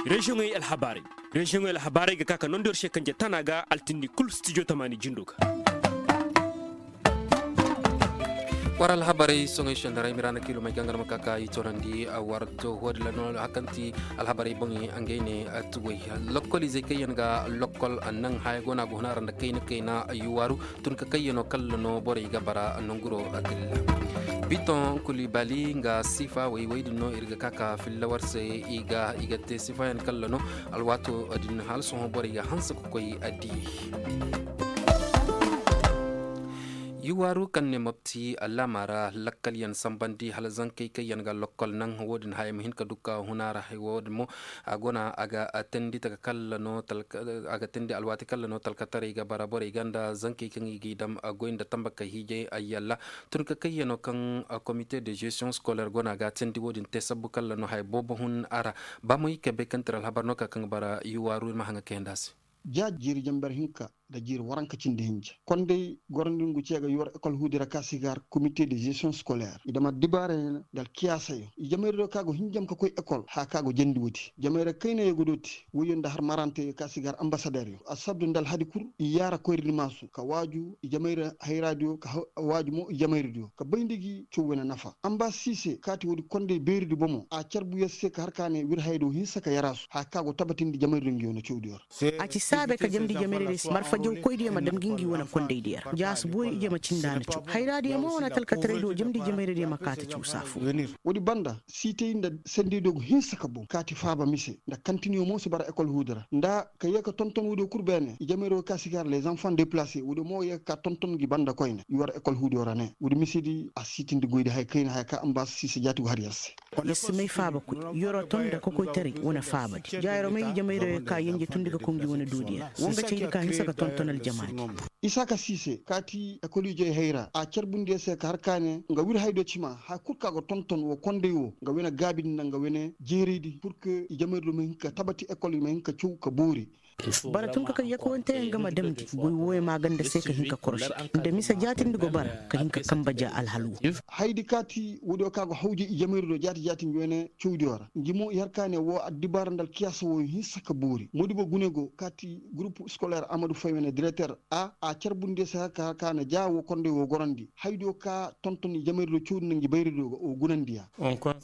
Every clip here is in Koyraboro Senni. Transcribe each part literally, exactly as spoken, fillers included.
Reziyoŋey alhabaarey. Reziyoŋey alhabaarey ga ka ka nondi war se kanje tana ga altindi kul stijo tamaani jindo ga. War alhabaarey soŋey sendara ay miraana kiilomey gangar ma ka ka i torandi war to woo din ra no hakanti. Alhabaarey boŋey ngey ne tuwey lokol izey kaŋ yaŋ ga lokol naŋ haya go no a go huna ra nda kayna kayna yuwaaru. Tun ka kayyano kalla no borey ga bara nonguro. Bitoŋ kulibali nga sifa wey wey din no ir ga ka ka filla war se. I ga i ga te sifayaŋ kalla no alwaato din hala sohõ borey ga hanse ka koy. Addi yuwaaru kaŋ ne mopti laama ra lakkalyaŋ sambandi hala zankey kaŋ yaŋ ga lokkol naŋ wo- din haya ma hin ka dukka huna ra wo- din mo a go no a ga teendi taka kalla no a ga teendi alwaati kalla no talkataray ga bara borey ga nda zankey kaŋ i g'i dam goy nda tambakey hiijay ay yalla. Tun ka kayyano kaŋ komite de gestion scolaire go no a ga teendi wo- din te sabbu kalla no haya boobo hun a ra. Ba mo i kabe kaŋ tira alhabar no ka kaŋ bara yuwaaru ir ma haŋa kayandi a se. Ja jiiri jamber hinka nda jiiri waranka cindi hinja konday gorandi ngu ce ga yuwar ekol huudi ra ka si gar komite de gestion scolaire i dama dibaarey nda alkiyaasayo i jamayra do ka go hinjam ka koy ekol haya ka go jandi woodi jamayra kaynayo ga dooti woyyo nda har marantey ka si gar ambasaderyo assabdu nda alhadi kul i yaara koyradi maasu ka waaju i jamayra hayraadiyo ka waaju mo i jamayradiyo ka bay nda gi caw wane nafa ambas siise kaati woodi konday beeridi bomo a carbu yer se ka har ka ne wir hayadiyo hinsa ka yaraasu haya ka go tabatindi jamayra do ngi wane cawdiyo ra. A ci saabe ka jamndi jamayra diyo se marfa jawkoydiyo ma dam ngi ngi wane kondaydiyo ra ja a si boori ije ma cinda na caw hayraadiyo mo wane talkataraydiyo jamndi jamayra diyo ma kaati caw saafo. Woodi banda siitay nda sendaydiyo go hinsa ka boŋ kaati faaba mise nda kantiniyo mo si bara ekol huudi ra nda ka yee ka tonton woodiyo kul beene i jamayra wo ka si gar les enfants deplace woodiyo mo yee ka ka tonton ngi banda koyne i war ekol huudiyo ra ne woodi misedi a siitindi goydi haya kayna haya ka ambaas siise jaati go har yer se. Yer si may faabakoy yer wo ton nda kokoytaray wane faabadi ja yer wo may i jamayra yer ka yenje tundi ga koy ngi wane doodiyo ra wo nga caydi ka hinsa ga tonton aljamaadi. Isaaka siise kaati ekol ijey hayra a carbundi yer se ka har ka ne nga wir haydo cima haya kul ka ga tonton wo konday wo nga wane gaabidi nda nga wane jeeraydi pur que i jamayra do ma hin ka tabati ekol i ma hin ka caw ka boori. Bara tun ka kay yakawanteyaŋ ga ma damndi goy wooyo maaganda se ka hin ka korosi gi nda mise jaatindi go bara ka hin ka kamba ja alhal wo. Hayadi kaati woodiyo ka go hawja i jamayri do jaati jaati ngi wane cawdiyo ra ngi mo i har ka ne woo addibaara nda alkiyaasa wooyo hinsa ka boori modibo gune go kaati gurupu scolaire amadu fay wane direter a a carbundi se har ka har ka ne ja woo konday woo gorandi hayadiyo ka tonton i jamayri do cawdi nda ngi bayradiyo ga woo gunandiya.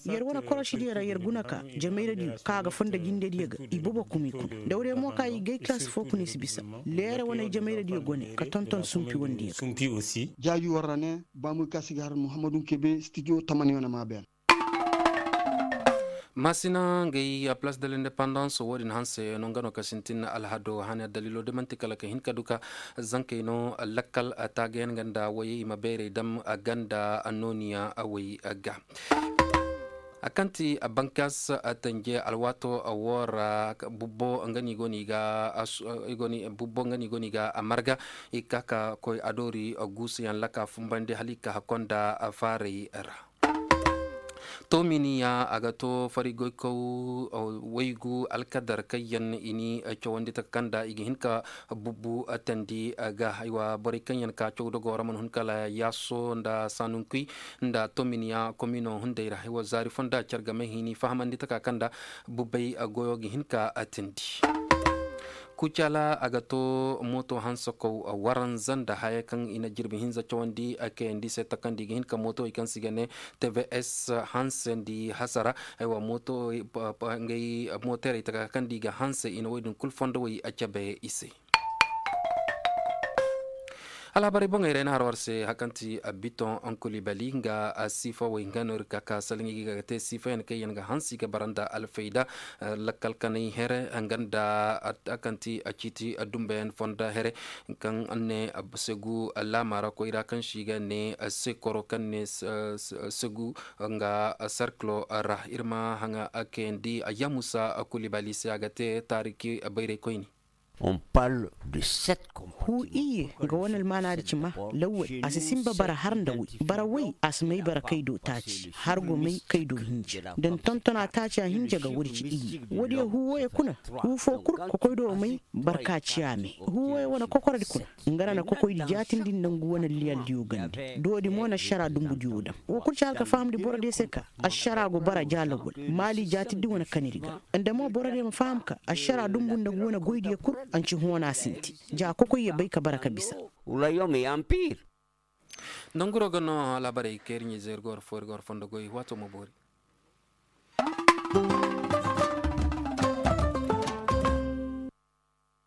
Yer wane korosidiyo ra yer guna ka jamayradiyo ka ga fondo jindediyo ga i bobo kumi kuna dawrey mo ka i gay kilaasi foo kuna i si bisa leere wane jamayradiyo gone ka tonton sumpi wandiyo ga. Jaaji war ra ne baamuy ka si ga har muhammadu kebe stijo tamani wane maa beene. Maasina ngey a palaas de lindepandans woo din hanse no nga no ka sintin alhado hane addaliilo de man'ti kala ka hin ka duka zankey no lakkal taagayaŋ nga nda woyey i ma beerey dam a ganda nooniya woy ga. A kaŋ ti bankaas tanje alwaato woo ra bubbo nga no i go no i ga bubbo nga no i go no i ga a marga i ka ka koy adoori guusuyaŋ laka fumbandi hala i ka hakko nda faaray ra. Toominiya a ga too farigoykaw waygu alkadar kaŋ yaŋ i ni cawandi taka kaŋ nda i ga hin ka bubbu teendi ga borey kaŋ yaŋ ka caw dogoo ra mana hun kala yaaso nda saanunkuy nda toominiya komino hunday ra haywa zaari foo nda car game hini fahamandi taka kaŋ nda bubbey goyo ga hin ka teendi. Kucaala a ga too mooto hanse kaw waranza nda haya kaŋ i na jirbi hinza cawandi kayandi se takandi ga hin ka mootowey kaŋ se i ga ne tvs hanse nda hasara. Aywa mootowey mooteerey taka kaŋ nda i ga hanse i na wey din kul fondowey cabe i se. Alhabarey boŋey ra ay na har war se hari kaŋ ti bitoŋ onkulibali nga siifawey nga no ir ka ka salaŋ i ga ga te siifayaŋ kaŋ yaŋ ga hanse i ga bara nda alfayda lakkal kanay here nga nda hari kaŋ ti ciiti dumbeyaŋ fonda here kaŋ ne segu laama ra koyra kaŋ se i ga ne sekoro kaŋ ne segu nga serkilo ra ir ma haŋa kayandi ayyamusa kulibali se a ga te taariki bayraykoyni. Huu iyye ga wane almaanaadi cima. Lawwal a si sinba bara har nda woy. Bara woy a si may bara kay do taaci har go may kay do hinja da ni tontonaa taaci a hinja ga woodi ci iyye. Woodiyo huu wooyo kuna. Huu foo kul kokoydo may barka ci a me. Huu wooyo wane kokoradi kuna. Nga na na kokoydi jaatindi nda ngu wane liyaldiyo ganda. Doodi mo na ašaraa dunbudiyo daŋ. Woo kul ci hala ka fahamndi borodiyo se ka ašaraa go bara ja lawwal maali jaatindi wane kanadi ga. Nda mo borodiyo ma faham ka ašaraa dunbu nda ngu wane goydiyo kul. Anci hoona sinti ja kokoyyo bay ka bara ka bisa. Nda nguro ga no laabarey kaŋ ir ɲa-ize ir ga war foo ir ga war fondo goy waato ma boori.